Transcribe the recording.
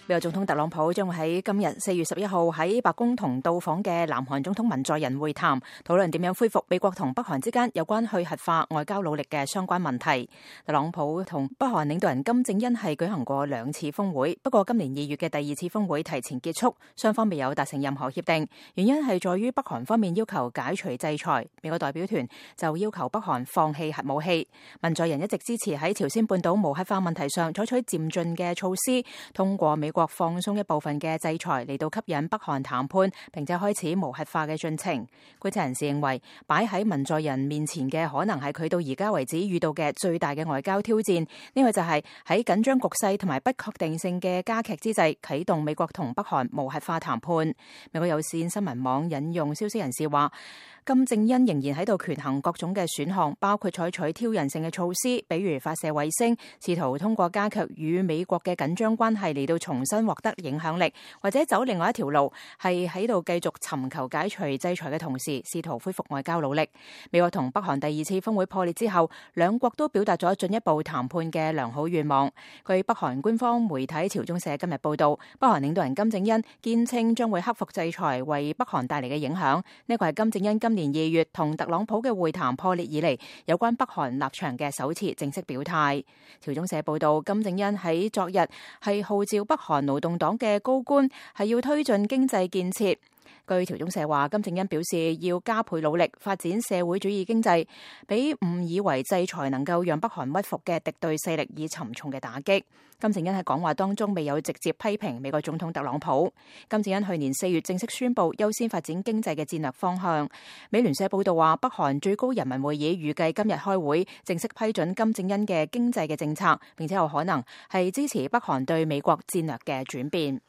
美國總統特朗普將會喺今日4月11號喺白宮同到訪嘅南韓總統文在寅會談，討論點樣恢復美國同北韓之間有關去核化外交努力嘅相關問題。特朗普同北韓領導人金正恩係舉行過2次峰會，不過今年2月嘅第2次峰會提前結束，雙方未有達成任何協定，原因係在於北韓方面要求解除制裁，美國代表團就要求北韓放棄核武器。文在寅一直支持喺朝鮮半島無核化問題上採取漸進嘅措施，通過美國放鬆一部分嘅制裁嚟到吸引北韓談判，並且開始無核化嘅進程。觀察人士認為，擺喺文在寅面前嘅可能係佢到而家為止遇到嘅最大嘅外交挑戰。呢個就係喺緊張局勢同埋不確定性嘅加劇之際，啟動美國同北韓無核化談判。美國有線新聞網引用消息人士話，金正恩仍然喺度權衡各種嘅選項，包括採取挑釁性嘅措施，比如發射衛星，試圖通過加強與美國嘅緊張關係嚟到重新獲得影響力，或者走另外一條路，係喺度繼續尋求解除制裁嘅同時，試圖恢復外交努力。美國同北韓第2次峰會破裂之後，兩國都表達咗進一步談判嘅良好願望。據北韓官方媒體朝中社今日報道，北韓領導人金正恩堅稱將會克服制裁為北韓帶嚟嘅影響。呢個係金正恩今年2月同特朗普嘅會談破裂以嚟，有關北韓立場嘅首次正式表態。朝中社報道，金正恩喺昨日係號召北韓勞動黨嘅高官係要推進經濟建設。據朝中社話，金正恩表示要加倍努力發展社會主義經濟，俾誤以為制裁能夠讓北韓屈服嘅敵對勢力以沉重嘅打擊。金正恩喺講話當中未有直接批評美國總統特朗普。金正恩去年4月正式宣布優先發展經濟嘅戰略方向。美聯社報道話，北韓最高人民會議預計今日開會正式批准金正恩嘅經濟嘅政策，並且有可能係支持北韓對美國戰略嘅轉變。